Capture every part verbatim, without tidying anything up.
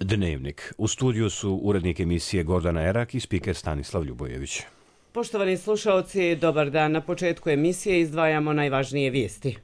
Dnevnik. U studiju su urednik emisije Gordana Erak i spiker Stanislav Ljubojević. Poštovani slušaoci, dobar dan. Na početku emisije izdvajamo najvažnije vijesti.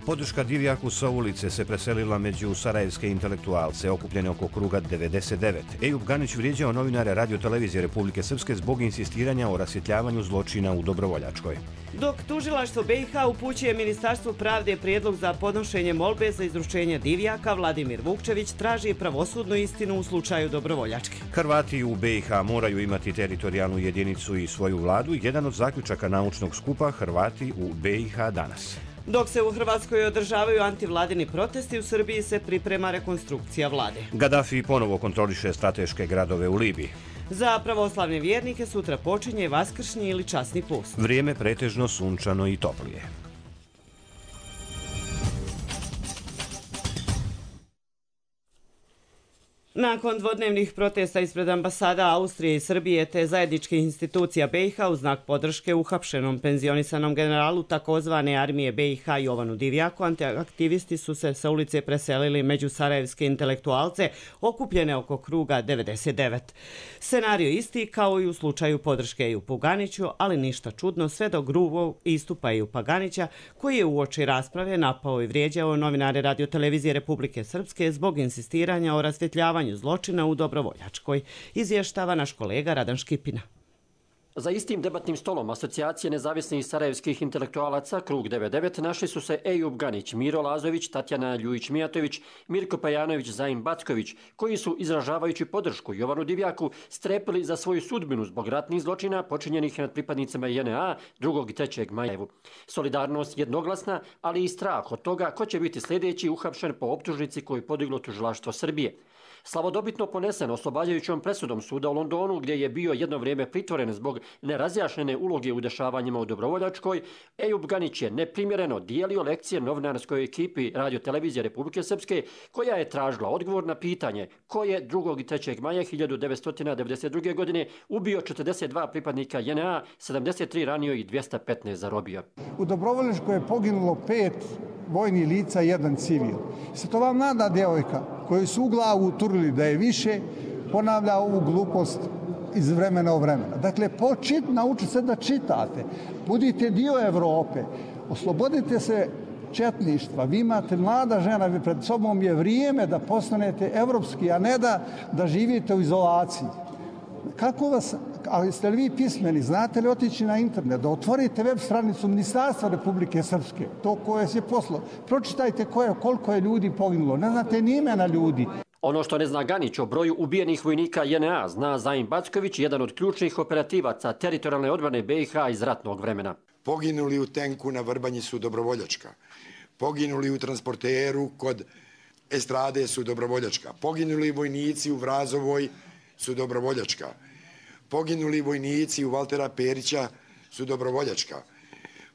Podrška Divjaku sa ulice se preselila među sarajevske intelektualce okupljene oko kruga devedeset devet. Ejub Ganić vrijeđao novinare Radio-televizije Republike Srpske zbog insistiranja o rasvjetljavanju zločina u Dobrovoljačkoj. Dok tužilaštvo B i H upućuje Ministarstvu pravde prijedlog za podnošenje molbe za izručenje Divjaka, Vladimir Vukčević traži pravosudnu istinu u slučaju Dobrovoljačke. Hrvati u B i H moraju imati teritorijalnu jedinicu i svoju vladu, jedan od zaključaka naučnog skupa Hrvati u B i H danas. Dok se u Hrvatskoj održavaju antivladini protesti, u Srbiji se priprema rekonstrukcija vlade. Gaddafi ponovo kontroliše strateške gradove u Libiji. Za pravoslavne vjernike sutra počinje vaskršnji ili časni post. Vrijeme pretežno sunčano i toplije. Nakon dvodnevnih protesta ispred ambasada Austrije i Srbije te zajedničkih institucija B i H u znak podrške uhapšenom penzionisanom generalu takozvane armije B i H Jovanu Divjaku, antiaktivisti su se sa ulice preselili među sarajevske intelektualce okupljene oko kruga devedeset devet. Scenario isti kao i u slučaju podrške Ejubu Ganiću, ali ništa čudno sve do grubog istupa Ejuba Ganića, koji je uoči rasprave napao i vrijeđao novinare Radio-televizije Republike Srpske zbog insistiranja o rasvjetljavanju zločina u Dobrovoljačkoj, izvještava naš kolega Radan Škipina. Za istim debatnim stolom Asocijacije nezavisnih sarajevskih intelektualaca Krug devedeset devet našli su se Ejub Ganić, Miro Lazović, Tatjana Ljujić-Mijatović, Mirko Pajanović, Zajin Backović, koji su, izražavajući podršku Jovanu Divjaku, strepili za svoju sudbinu zbog ratnih zločina počinjenih nad pripadnicima J N A drugog i trećeg maja. Solidarnost jednoglasna, ali i strah od toga ko će biti sljedeći uhapšen po optužnici koju podiglo tužilaštvo Srbije. Slavodobitno ponesen oslobađajućom presudom suda u Londonu, gdje je bio jedno vrijeme pritvoren zbog nerazjašnjene uloge u dešavanjima u Dobrovoljačkoj, Ejub Ganić je neprimjereno dijelio lekcije novinarskoj ekipi Radio-televizije Republike Srpske, koja je tražila odgovor na pitanje ko je drugog i trećeg maja hiljadu devetsto devedeset druge. godine ubio četrdeset dva pripadnika J N A, sedamdeset tri ranio i dvjesto petnaest zarobio. U Dobrovoljačkoj je poginulo pet vojnih lica i jedan civil. Se to vam mlada djevojka koju su u glavu uturili da je više, ponavlja ovu glupost iz vremena u vremena. Dakle, počit, naučite se da čitate. Budite dio Evrope. Oslobodite se četništva. Vi imate mlada žena, vi pred sobom je vrijeme da postanete evropski, a ne da, da živite u izolaciji. Kako vas, ali ste li vi pismeni, znate li otići na internet, da otvorite web stranicu Ministarstva Republike Srpske, to koje se poslo, pročitajte koje, koliko je ljudi poginulo, ne znate ni imena ljudi. Ono što ne zna Ganić o broju ubijenih vojnika J N A zna Zajin Backović, jedan od ključnih operativaca teritorijalne odbrane B i H iz ratnog vremena. Poginuli u tenku na Vrbanji su Dobrovoljačka, poginuli u transporteru kod Estrade su Dobrovoljačka, poginuli vojnici u Vrazovoj su Dobrovoljačka, poginuli vojnici u Valtera Perića su Dobrovoljačka,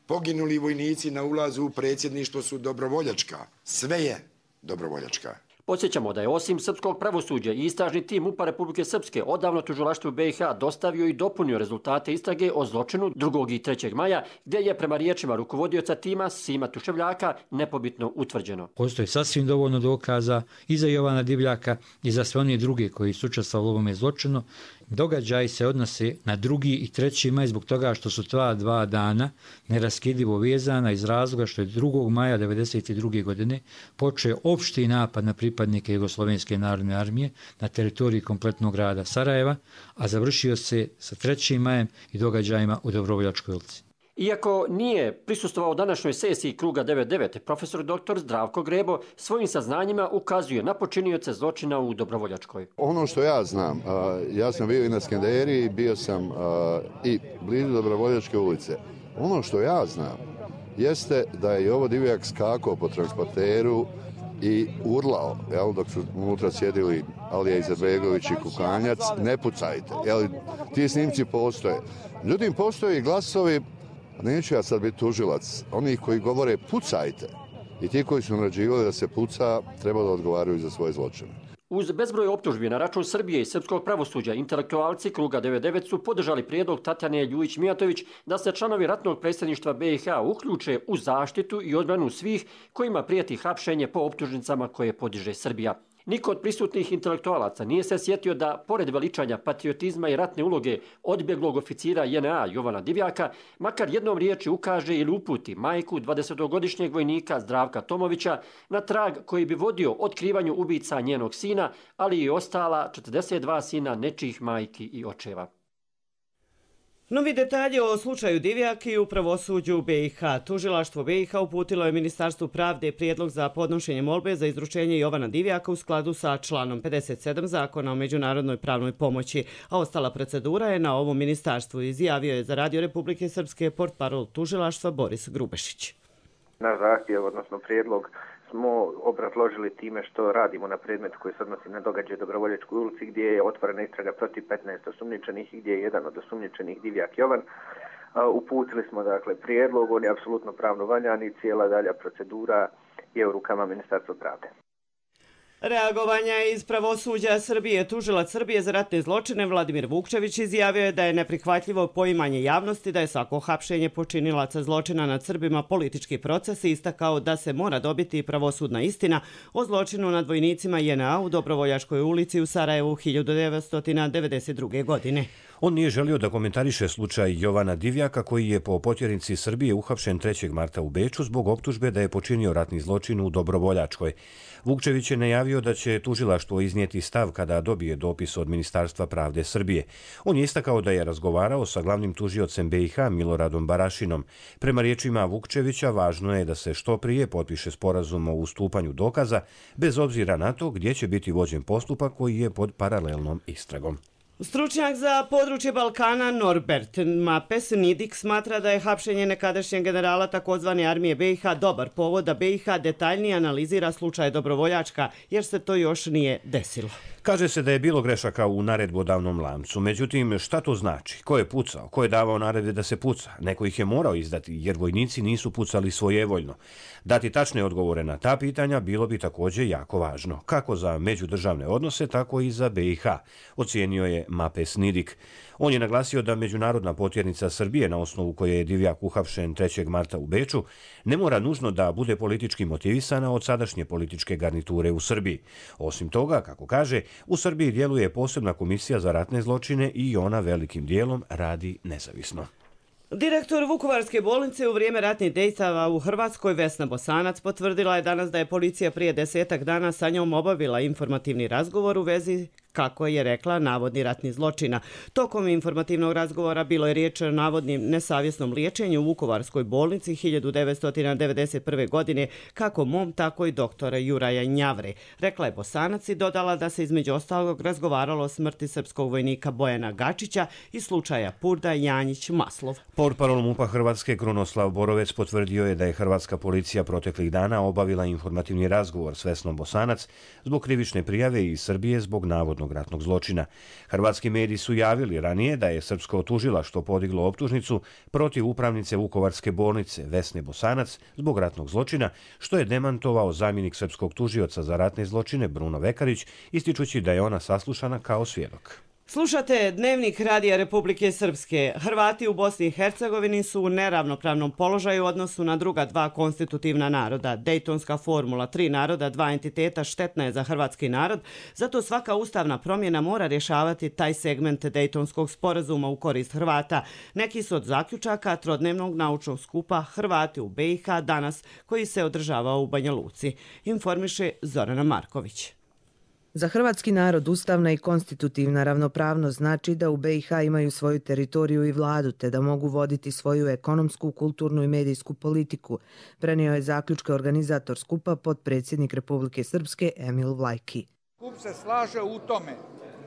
poginuli vojnici na ulazu u predsjedništvo su Dobrovoljačka, sve je Dobrovoljačka. Podsjećamo da je osim srpskog pravosuđa i istražni tim M U P-a Republike Srpske odavno tužilaštvu B i H dostavio i dopunio rezultate istrage o zločinu drugog i trećeg maja, gdje je prema riječima rukovodioca tima Sima Tuševljaka nepobitno utvrđeno. Postoji sasvim dovoljno dokaza i za Jovana Divjaka i za sve one druge koji su učestvovali u ovome zločinu. Događaj se odnose na drugi i treći maj zbog toga što su ta dva dana neraskidivo vezana iz razloga što je drugog maja devedeset druge. godine počeo opšti napad na pripadnike Jugoslovenske narodne armije na teritoriji kompletnog grada Sarajeva, a završio se sa trećim majem i događajima u Dobrovoljačkoj ulici. Iako nije prisustvovao današnjoj sesiji Kruga devedeset devet, profesor doktor Zdravko Grebo svojim saznanjima ukazuje na počinioce zločina u Dobrovoljačkoj. Ono što ja znam, ja sam bio i na Skenderiji, bio sam i blizu Dobrovoljačke ulice. Ono što ja znam jeste da je Jovo Divjak skakao po transporteru i urlao, jel, dok su unutra sjedili Alija Izetbegović i Kukanjac, ne pucajte. Jel, ti snimci postoje. Međutim, postoje i glasovi, neću ja sad biti tužilac, onih koji govore pucajte i ti koji su naređivali da se puca treba da odgovaraju za svoje zločine. Uz bezbroj optužbi na račun Srbije i srpskog pravosuđa, intelektualci Kruga devedeset devet su podržali prijedlog Tatjane Ljujić-Mijatović da se članovi ratnog predsjedništva B i H uključe u zaštitu i odbranu svih kojima prijeti hapšenje po optužnicama koje podiže Srbija. Niko od prisutnih intelektualaca nije se sjetio da, pored veličanja patriotizma i ratne uloge odbjeglog oficira J N A Jovana Divjaka, makar jednom riječi ukaže ili uputi majku dvadesetogodišnjeg vojnika Zdravka Tomovića na trag koji bi vodio otkrivanju ubica njenog sina, ali i ostala četrdeset dva sina nečijih majki i očeva. Novi detalji o slučaju Divjak i u pravosuđu B i H. Tužilaštvo B i H uputilo je Ministarstvu pravde prijedlog za podnošenje molbe za izručenje Jovana Divjaka u skladu sa članom pedeset sedam Zakona o međunarodnoj pravnoj pomoći, a ostala procedura je na ovom ministarstvu, izjavio je za Radio Republike Srpske portparol tužilaštva Boris Grubešić. Naš zahtjev, odnosno prijedlog, smo obrazložili time što radimo na predmetu koji se odnosi na događaj Dobrovoljačkoj ulici gdje je otvorena istraga protiv petnaest osumnjičenih i gdje je jedan od osumnjičenih Divjak Jovan. Uputili smo dakle prijedlog, on je apsolutno pravno valjan i cijela dalja procedura je u rukama Ministarstva pravde. Reagovanja iz pravosuđa Srbije. Tužilac Srbije za ratne zločine Vladimir Vukčević izjavio je da je neprihvatljivo poimanje javnosti da je svako hapšenje počinilaca zločina nad Srbima politički proces i istakao da se mora dobiti pravosudna istina o zločinu nad vojnicima J N A u Dobrovoljačkoj ulici u Sarajevu hiljadu devetsto devedeset druge. godine. On nije želio da komentariše slučaj Jovana Divjaka koji je po potjernici Srbije uhapšen trećeg marta u Beču zbog optužbe da je počinio ratni zločin u Dobrovoljačkoj. Vukčević je najavio da će tužilaštvo iznijeti stav kada dobije dopis od Ministarstva pravde Srbije. On je istakao da je razgovarao sa glavnim tužiocem B i H Miloradom Barašinom. Prema riječima Vukčevića važno je da se što prije potpiše sporazum o ustupanju dokaza bez obzira na to gdje će biti vođen postupak koji je pod paralelnom istragom. Stručnjak za područje Balkana Norbert Mapes-Nidik smatra da je hapšenje nekadašnjeg generala takozvane armije B i H dobar povod da B i H detaljnije analizira slučaj Dobrovoljačka, jer se to još nije desilo. Kaže se da je bilo grešaka u naredbodavnom lancu. Međutim, šta to znači? Ko je pucao? Ko je davao naredbe da se puca? Neko ih je morao izdati, jer vojnici nisu pucali svojevoljno. Dati tačne odgovore na ta pitanja bilo bi također jako važno, kako za međudržavne odnose, tako i za B i H, ocijenio je Mapes-Nidik. On je naglasio da međunarodna potjernica Srbije, na osnovu koje je Divjak uhapšen trećeg marta u Beču, ne mora nužno da bude politički motivisana od sadašnje političke garniture u Srbiji. Osim toga, kako kaže, u Srbiji djeluje posebna komisija za ratne zločine i ona velikim dijelom radi nezavisno. Direktor Vukovarske bolnice u vrijeme ratnih dejstava u Hrvatskoj Vesna Bosanac potvrdila je danas da je policija prije desetak dana sa njom obavila informativni razgovor u vezi, kako je rekla, navodni ratni zločina. Tokom informativnog razgovora bilo je riječ o navodnim nesavjesnom liječenju u Vukovarskoj bolnici hiljadu devetsto devedeset prve. godine kako mom, tako i doktora Juraja Njavre. Rekla je Bosanac i dodala da se između ostalog razgovaralo o smrti srpskog vojnika Bojana Gačića i slučaja Purda Janjić-Maslov. Portparol MUP-a Hrvatske Krunoslav Borovec potvrdio je da je hrvatska policija proteklih dana obavila informativni razgovor s Vesnom Bosanac zbog krivične prijave iz Srbije zbog navodnog ratnog zločina. Hrvatski mediji su javili ranije da je srpsko tužilaštvo podiglo optužnicu protiv upravnice Vukovarske bolnice Vesne Bosanac zbog ratnog zločina, što je demantovao zamjenik srpskog tužioca za ratne zločine Bruno Vekarić, ističući da je ona saslušana kao svjedok. Slušate Dnevnik Radija Republike Srpske. Hrvati u Bosni i Hercegovini su u neravnopravnom položaju u odnosu na druga dva konstitutivna naroda. Dejtonska formula tri naroda, dva entiteta štetna je za hrvatski narod, zato svaka ustavna promjena mora rješavati taj segment Dejtonskog sporazuma u korist Hrvata. Neki su od zaključaka trodnevnog naučnog skupa Hrvati u B i H danas, koji se održavao u Banja Luci, informiše Zorana Marković. Za hrvatski narod ustavna i konstitutivna ravnopravnost znači da u B i H imaju svoju teritoriju i vladu, te da mogu voditi svoju ekonomsku, kulturnu i medijsku politiku, prenio je zaključke organizator skupa potpredsjednik Republike Srpske Emil Vlajki. Skup se slaže u tome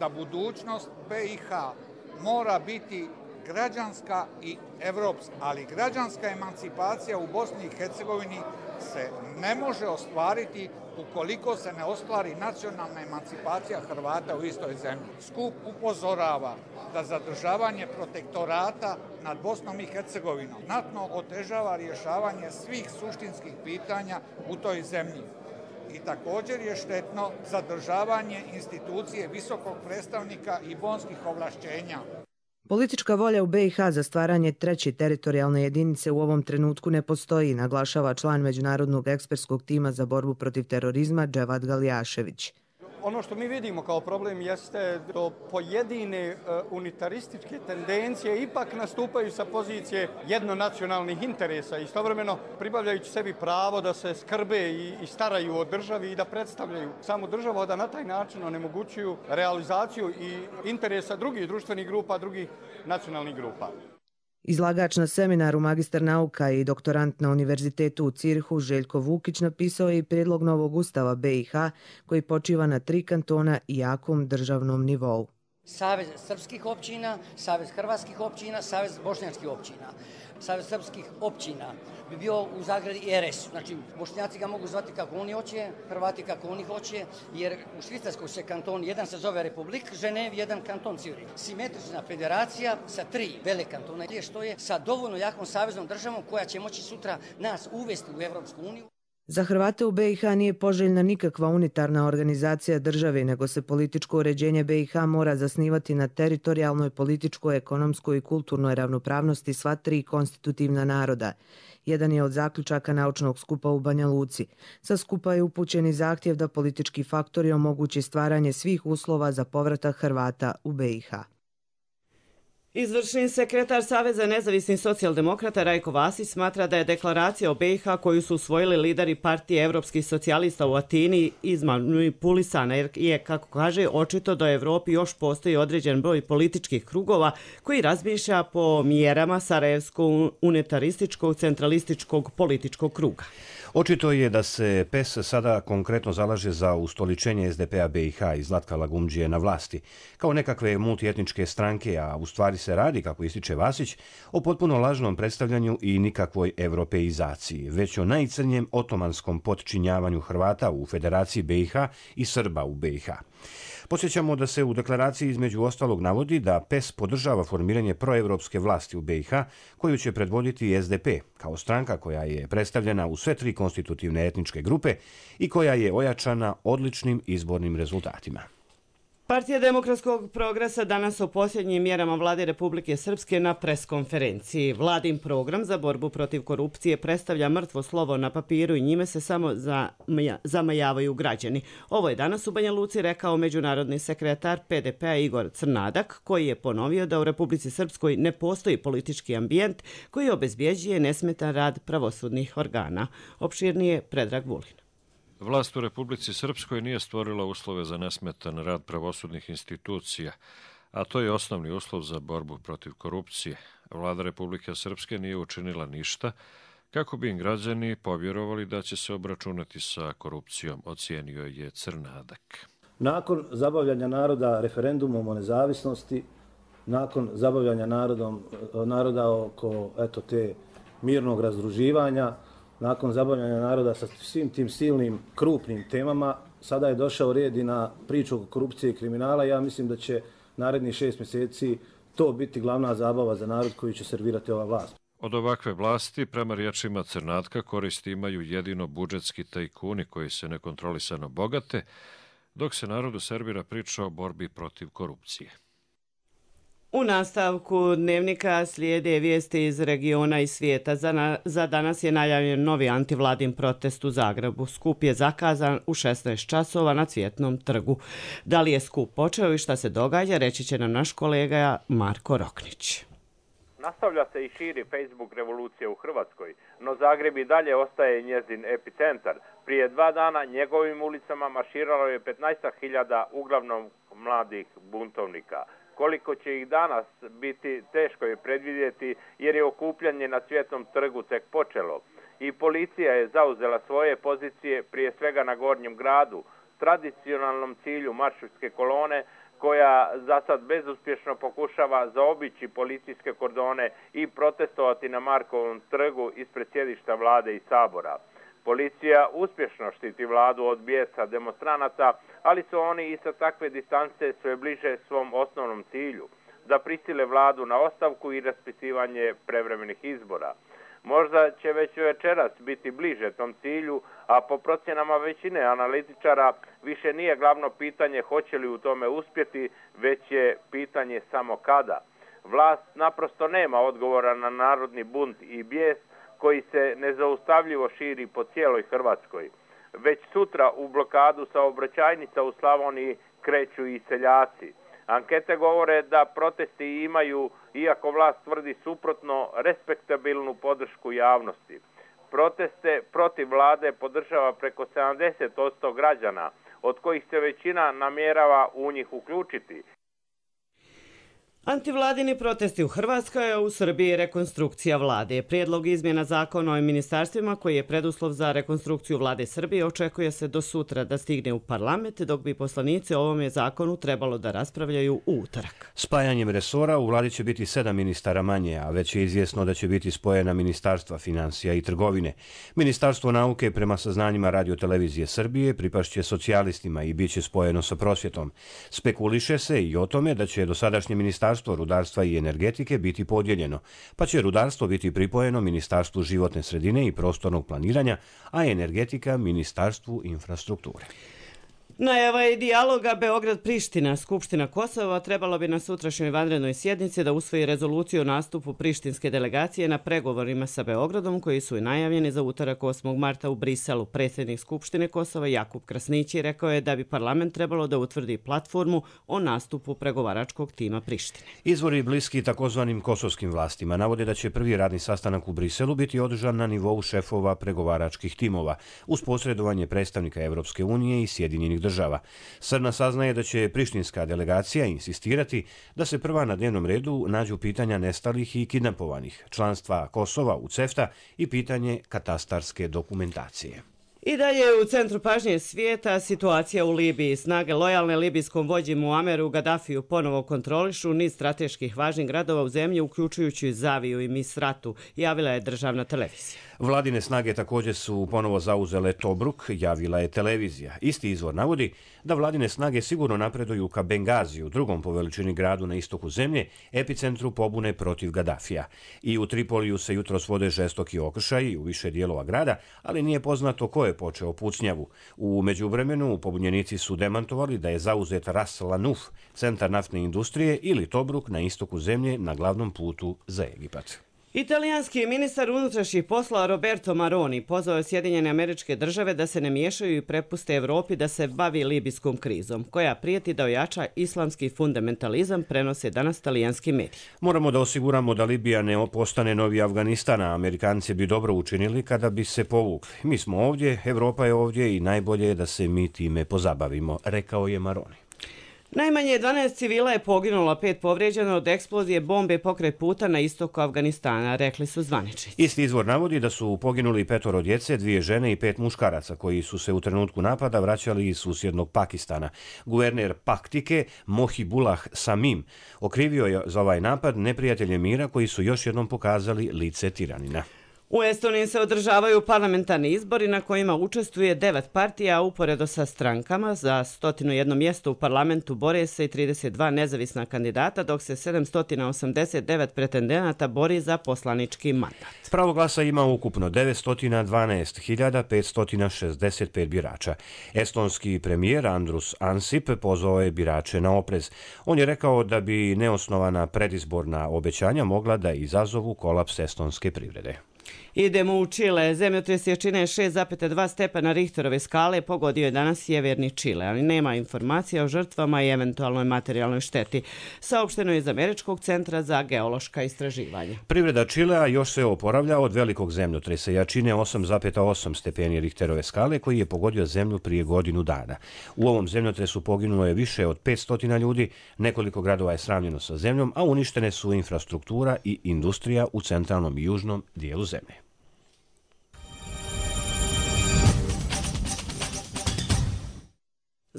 da budućnost B i H mora biti građanska i evropska, ali građanska emancipacija u Bosni i Hercegovini se ne može ostvariti ukoliko se ne ostvari nacionalna emancipacija Hrvata u istoj zemlji. Skup upozorava da zadržavanje protektorata nad Bosnom i Hercegovinom znatno otežava rješavanje svih suštinskih pitanja u toj zemlji. i također je štetno zadržavanje institucije visokog predstavnika i bonskih ovlašćenja. Politička volja u B i H za stvaranje treće teritorijalne jedinice u ovom trenutku ne postoji, naglašava član Međunarodnog ekspertskog tima za borbu protiv terorizma Dževad Galijašević. Ono što mi vidimo kao problem jeste da pojedine unitarističke tendencije ipak nastupaju sa pozicije jednonacionalnih interesa, istovremeno pribavljajući sebi pravo da se skrbe i staraju o državi i da predstavljaju samu državu, a da na taj način onemogućuju realizaciju i interesa drugih društvenih grupa, drugih nacionalnih grupa. Izlagač na seminaru magistar nauka i doktorant na Univerzitetu u Cirhu Željko Vukić napisao je i prijedlog novog ustava B i H koji počiva na tri kantona i jakom državnom nivou. Savez srpskih općina, Savez hrvatskih općina, Savez bošnjačkih općina. Savez srpskih općina bi bio u zagradi R S. Znači, Bošnjaci ga mogu zvati kako oni hoće, Hrvati kako oni hoće, jer u Švicarskoj se kanton, jedan se zove Republik Ženev, jedan kanton Ciurih. Simetrična federacija sa tri vele kantona, što je sa dovoljno jakom saveznom državom koja će moći sutra nas uvesti u Evropsku uniju. Za Hrvate u B i H nije poželjna nikakva unitarna organizacija države, nego se političko uređenje B i H mora zasnivati na teritorijalnoj, političkoj, ekonomskoj i kulturnoj ravnopravnosti sva tri konstitutivna naroda. Jedan je od zaključaka naučnog skupa u Banja Luci. Sa skupa je upućen i zahtjev da politički faktori omogući stvaranje svih uslova za povratak Hrvata u B i H. Izvršni sekretar Saveza nezavisnih socijaldemokrata Rajko Vasić smatra da je deklaracija o B i H koju su usvojili lideri partije evropskih socijalista u Atini izmanipulisana jer je, kako kaže, očito da u Evropi još postoji određen broj političkih krugova koji razmišlja po mjerama Sarajevskog unitarističkog centralističkog političkog kruga. Očito je da se P E S sada konkretno zalaže za ustoličenje S D P-a B i H i Zlatka Lagumdžije na vlasti, kao nekakve multietničke stranke, a u stvari se radi, kako ističe Vasić, o potpuno lažnom predstavljanju i nikakvoj evropeizaciji, već o najcrnjem otomanskom potčinjavanju Hrvata u Federaciji B i H i Srba u B i H. Podsjećamo da se u deklaraciji između ostalog navodi da P E S podržava formiranje proevropske vlasti u B i H koju će predvoditi S D P kao stranka koja je predstavljena u sve tri konstitutivne etničke grupe i koja je ojačana odličnim izbornim rezultatima. Partija demokratskog progresa danas o posljednjim mjerama vlade Republike Srpske na preskonferenciji. Vladin program za borbu protiv korupcije predstavlja mrtvo slovo na papiru i njime se samo zamajavaju građani. Ovo je danas u Banja Luci rekao međunarodni sekretar P D P-a Igor Crnadak, koji je ponovio da u Republici Srpskoj ne postoji politički ambijent koji obezbjeđuje nesmetan rad pravosudnih organa. Opširnije Predrag Vulin. Vlast u Republici Srpskoj nije stvorila uslove za nesmetan rad pravosudnih institucija, a to je osnovni uslov za borbu protiv korupcije. Vlada Republike Srpske nije učinila ništa kako bi im građani povjerovali da će se obračunati sa korupcijom, ocijenio je Crnadak. Nakon zabavljanja naroda referendumom o nezavisnosti, nakon zabavljanja narodom, naroda oko eto, te mirnog razdruživanja, nakon zabavljanja naroda sa svim tim silnim, krupnim temama, sada je došao red i na priču o korupcije i kriminala. Ja mislim da će narednih šest mjeseci to biti glavna zabava za narod koji će servirati ova vlast. Od ovakve vlasti, prema riječima Crnatka, koristi imaju jedino budžetski tajkuni koji se nekontrolisano bogate, dok se narodu servira priča o borbi protiv korupcije. U nastavku dnevnika slijede vijesti iz regiona i svijeta. Za, na, za danas je najavljen novi antivladin protest u Zagrebu. Skup je zakazan u šesnaest časova na Cvjetnom trgu. Da li je skup počeo i šta se događa, reći će nam naš kolega Marko Roknić. Nastavlja se i širi Facebook revolucija u Hrvatskoj, no Zagreb i dalje ostaje njezin epicentar. Prije dva dana njegovim ulicama marširalo je petnaest hiljada uglavnom mladih buntovnika. Koliko će ih danas biti, teško je predvidjeti jer je okupljanje na Cvjetnom trgu tek počelo. I policija je zauzela svoje pozicije prije svega na Gornjem gradu, tradicionalnom cilju maršovske kolone koja za sad bezuspješno pokušava zaobići policijske kordone i protestovati na Markovom trgu ispred sjedišta vlade i sabora. Policija uspješno štiti vladu od bijesa demonstranata, ali su oni i sa takve distance sve bliže svom osnovnom cilju, da prisile vladu na ostavku i raspisivanje prevremenih izbora. Možda će već večeras biti bliže tom cilju, a po procjenama većine analitičara više nije glavno pitanje hoće li u tome uspjeti, već je pitanje samo kada. Vlast naprosto nema odgovora na narodni bunt i bijes koji se nezaustavljivo širi po cijeloj Hrvatskoj. Već sutra u blokadu saobraćajnica u Slavoniji kreću i seljaci. Ankete govore da protesti imaju, iako vlast tvrdi suprotno, respektabilnu podršku javnosti. Proteste protiv vlade podržava preko sedamdeset posto građana, od kojih se većina namjerava u njih uključiti. Antivladini protesti u Hrvatskoj, a u Srbiji rekonstrukcija vlade. Prijedlog izmjena zakona o ministarstvima koji je preduslov za rekonstrukciju vlade Srbije očekuje se do sutra da stigne u parlament, dok bi poslanici o ovome zakonu trebalo da raspravljaju u utorak. Spajanjem resora u vladi će biti sedam ministara manje, a već je izvjesno da će biti spojena ministarstva financija i trgovine. Ministarstvo nauke, prema saznanjima Radio-televizije Srbije, pripašće socijalistima i bit će spojeno sa prosvjetom. Spekuliše se i o tome da će dosadašnje ministarstvo Ministarstvo rudarstva i energetike biti podijeljeno, pa će rudarstvo biti pripojeno Ministarstvu životne sredine i prostornog planiranja, a energetika Ministarstvu infrastrukture. Najava je dijaloga Beograd-Priština. Skupština Kosova trebalo bi na sutrašnjoj vanrednoj sjednici da usvoji rezoluciju o nastupu prištinske delegacije na pregovorima sa Beogradom, koji su i najavljeni za utorak osmog marta u Briselu. Predsjednik Skupštine Kosova Jakub Krasnići rekao je da bi parlament trebalo da utvrdi platformu o nastupu pregovaračkog tima Prištine. Izvori bliski takozvanim kosovskim vlastima navode da će prvi radni sastanak u Briselu biti održan na nivou šefova pregovaračkih timova, uz posredovanje predstavnika Evropske unije i Sjedinjenih država. Srna saznaje da će prištinska delegacija insistirati da se prva na dnevnom redu nađu pitanja nestalih i kidnapovanih, članstva Kosova u CEFTA i pitanje katastarske dokumentacije. I dalje u centru pažnje svijeta situacija u Libiji. Snage lojalne libijskom vođi Muameru Gadafiju ponovo kontrolišu niz strateških važnih gradova u zemlji, uključujući Zaviju i Misratu, javila je državna televizija. Vladine snage također su ponovo zauzele Tobruk, javila je televizija. Isti izvor navodi da vladine snage sigurno napreduju ka Bengaziju, drugom po veličini gradu na istoku zemlje, epicentru pobune protiv Gadafija. I u Tripoliju se jutros vode žestoki okršaji u više dijelova grada, ali nije poznato ko je počeo pucnjavu. U međuvremenu pobunjenici su demantovali da je zauzet Ras Lanuf, centar naftne industrije, ili Tobruk na istoku zemlje na glavnom putu za Egipat. Italijanski ministar unutrašnjih poslova Roberto Maroni pozvao je Sjedinjene Američke Države da se ne miješaju i prepuste Evropi da se bavi libijskom krizom, koja prijeti da ojača islamski fundamentalizam, prenose danas talijanski mediji. Moramo da osiguramo da Libija ne postane novi Afganistan, a Amerikanci bi dobro učinili kada bi se povukli. Mi smo ovdje, Evropa je ovdje i najbolje je da se mi time pozabavimo, rekao je Maroni. Najmanje dvanaest civila je poginulo, pet povrijeđeno od eksplozije bombe pokraj puta na istoku Afganistana, rekli su zvaničnici. Isti izvor navodi da su poginuli petoro djece, dvije žene i pet muškaraca koji su se u trenutku napada vraćali iz susjednog Pakistana. Guverner Paktike Mohibullah Samim okrivio je za ovaj napad neprijatelje mira koji su još jednom pokazali lice tiranina. U Estoniji se održavaju parlamentarni izbori na kojima učestvuje devet partija, a uporedo sa strankama za sto jedan mjesto u parlamentu bore se i trideset dva nezavisna kandidata, dok se sedamsto osamdeset devet pretendenata bori za poslanički mandat. Pravo glasa ima ukupno devetsto dvanaest hiljada petsto šezdeset pet birača. Estonski premijer Andrus Ansip pozvao je birače na oprez. On je rekao da bi neosnovana predizborna obećanja mogla da izazovu kolaps estonske privrede. Idemo u Čile. Zemljotres jačine šest zarez dva stepena Richterove skale pogodio je danas sjeverni Čile, ali nema informacija o žrtvama i eventualnoj materijalnoj šteti. Saopšteno je iz Američkog centra za geološka istraživanja. Privreda Čilea još se oporavlja od velikog zemljotresa jačine osam zarez osam stepeni Richterove skale koji je pogodio zemlju prije godinu dana. U ovom zemljotresu poginulo je više od petsto ljudi, nekoliko gradova je sravnjeno sa zemljom, a uništene su infrastruktura i industrija u centralnom i južnom dijelu zemlje.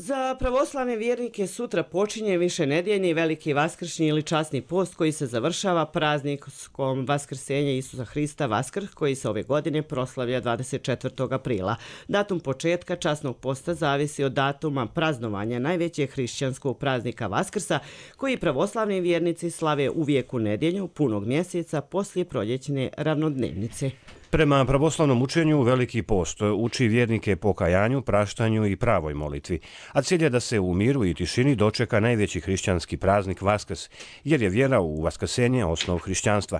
Za pravoslavne vjernike sutra počinje višenedjeljni veliki vaskršnji ili časni post koji se završava praznikom Vaskrsenja Isusa Hrista Vaskrs koji se ove godine proslavlja dvadeset četvrtog aprila. Datum početka časnog posta zavisi od datuma praznovanja najvećeg hrišćanskog praznika Vaskrsa koji pravoslavni vjernici slave uvijek u nedjelju punog mjeseca poslije proljećne ravnodnevnice. Prema pravoslavnom učenju, Veliki post uči vjernike pokajanju, praštanju i pravoj molitvi, a cilj je da se u miru i tišini dočeka najveći hrišćanski praznik Vaskrs, jer je vjera u vaskrsenje osnov hrišćanstva.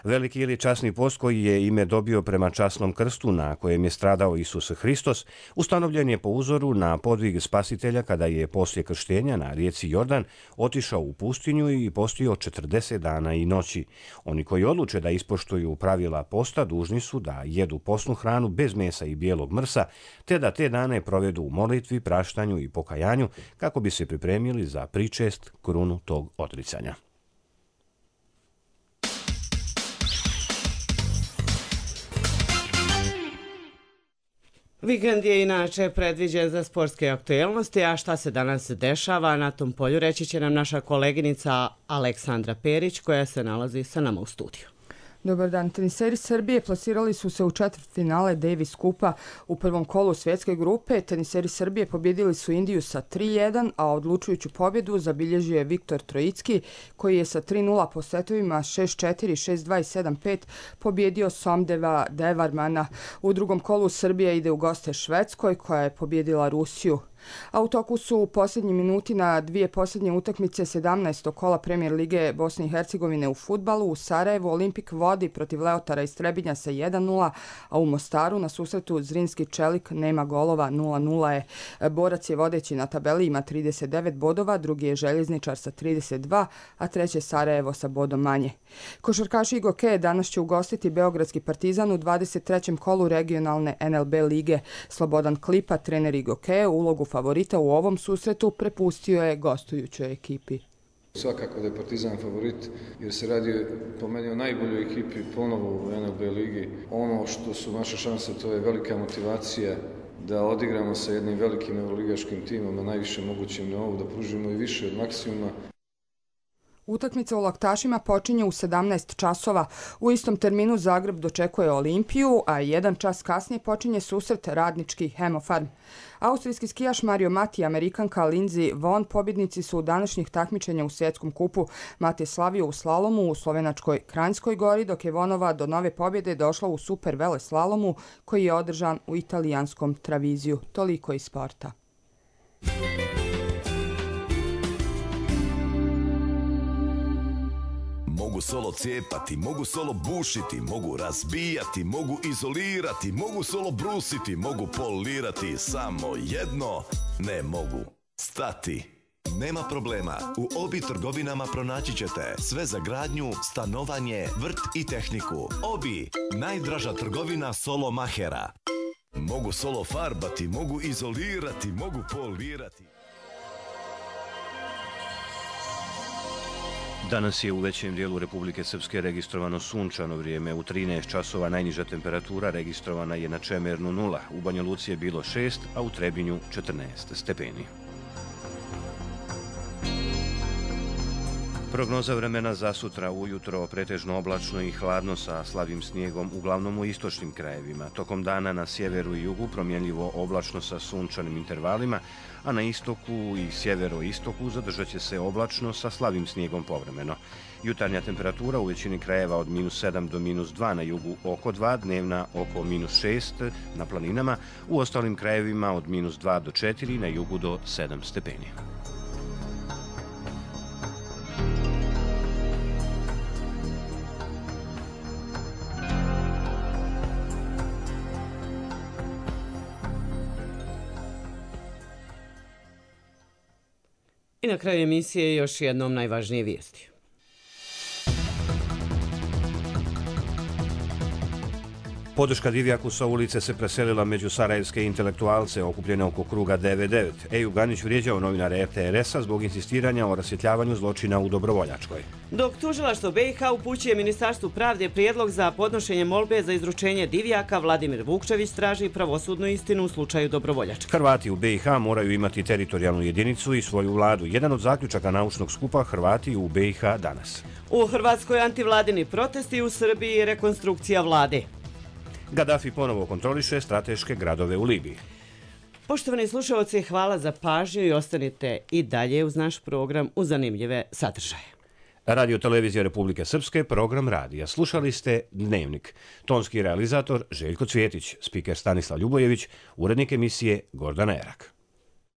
Veliki ili časni post koji je ime dobio prema časnom krstu na kojem je stradao Isus Hristos, ustanovljen je po uzoru na podvig Spasitelja kada je poslije krštenja na rijeci Jordan otišao u pustinju i postio četrdeset dana i noći. Oni koji odluče da ispoštuju pravila posta dužni su da jedu posnu hranu bez mesa i bijelog mrsa, te da te dane provedu u molitvi, praštanju i pokajanju kako bi se pripremili za pričest krunu tog odricanja. Vikend je inače predviđen za sportske aktuelnosti, a šta se danas dešava na tom polju reći će nam naša koleginica Aleksandra Perić koja se nalazi sa nama u studiju. Dobar dan. Teniseri Srbije plasirali su se u četvrtfinale Davis Kupa u prvom kolu svjetske grupe. Teniseri Srbije pobjedili su Indiju sa tri jedan, a odlučujuću pobjedu zabilježio je Viktor Trojicki koji je sa tri nula po setovima šest četiri, šest dva i sedam pet pobjedio Somdeva Devarmana. U drugom kolu Srbija ide u goste Švedskoj koja je pobjedila Rusiju. A u toku su u posljednji minuti na dvije posljednje utakmice sedamnaestog kola Premijer Lige Bosne i Hercegovine u fudbalu. U Sarajevu Olimpik vodi protiv Leotara iz Trebinja sa jedan nula, a u Mostaru na susretu Zrinski Čelik nema golova, nula nula je. Borac je vodeći na tabeli, ima trideset devet bodova, drugi je Željezničar sa trideset dva, a treće Sarajevo sa bodom manje. Košarkaši i Gokeje danas će ugostiti Beogradski Partizan u dvadeset trećem kolu regionalne N L B lige. Slobodan Klipa, trener i Gokeje, ulogu favorita u ovom susretu prepustio je gostujućoj ekipi. Svakako da je Partizan favorit jer se radi po meni o najboljoj ekipi ponovo u N L B ligi. Ono što su naše šanse to je velika motivacija da odigramo sa jednim velikim euroligaškim timom na najvišem mogućem nivou, da pružimo i više od maksimuma. Utakmica u Laktašima počinje u sedamnaest časova. U istom terminu Zagreb dočekuje Olimpiju, a jedan čas kasnije počinje susret Radnički Hemofarm. Austrijski skijaš Mario Mati i Amerikanka Lindsey Vonn pobjednici su današnjih takmičenja u svjetskom kupu. Mati je slavio u slalomu u slovenačkoj Kranjskoj gori, dok je Vonova do nove pobjede došla u super vele slalomu koji je održan u italijanskom Traviziju. Toliko iz sporta. Mogu solo cijepati, mogu solo bušiti, mogu razbijati, mogu izolirati, mogu solo brusiti, mogu polirati, samo jedno ne mogu stati. Nema problema, u Obi trgovinama pronaći ćete sve za gradnju, stanovanje, vrt i tehniku. Obi, najdraža trgovina solo mahera. Mogu solo farbati, mogu izolirati, mogu polirati. Danas je u većem dijelu Republike Srpske registrovano sunčano vrijeme. U trinaest časova najniža temperatura registrovana je na Čemernu nula. U Banja Luci je bilo šest, a u Trebinju četrnaest stepeni. Prognoza vremena za sutra ujutro pretežno oblačno i hladno sa slabim snijegom, uglavnom u istočnim krajevima. Tokom dana na sjeveru i jugu promjenljivo oblačno sa sunčanim intervalima, a na istoku i sjevero-istoku zadržat će se oblačno sa slabim snijegom povremeno. Jutarnja temperatura u većini krajeva od minus sedam do minus dva, na jugu oko dva, dnevna oko minus šest na planinama, u ostalim krajevima od minus dva do četiri, na jugu do sedam stepeni. I na kraju emisije još jednom najvažnije vijesti. Podrška Divjaku sa ulice se preselila među sarajevske intelektualce okupljene oko kruga devet devet. Ejub Ganić vrijeđao novinare R T R S-a zbog insistiranja o rasvjetljavanju zločina u Dobrovoljačkoj. Dok tužilaštvo B i H upućuje Ministarstvu pravde prijedlog za podnošenje molbe za izručenje Divjaka, Vladimir Vukčević traži pravosudnu istinu u slučaju Dobrovoljačka. Hrvati u B i H moraju imati teritorijalnu jedinicu i svoju vladu. Jedan od zaključaka naučnog skupa Hrvati u B i H danas. U Hrvatskoj antivladini protesti, u Srbiji rekonstrukcija vlade. Gaddafi ponovo kontroliše strateške gradove u Libiji. Poštovani slušalci, hvala za pažnju i ostanite i dalje uz naš program u zanimljive sadržaje. Radio Televizija Republike Srpske, program radija. Slušali ste Dnevnik. Tonski realizator Željko Cvjetić, spiker Stanislav Ljubojević, urednik emisije Gordana Erak.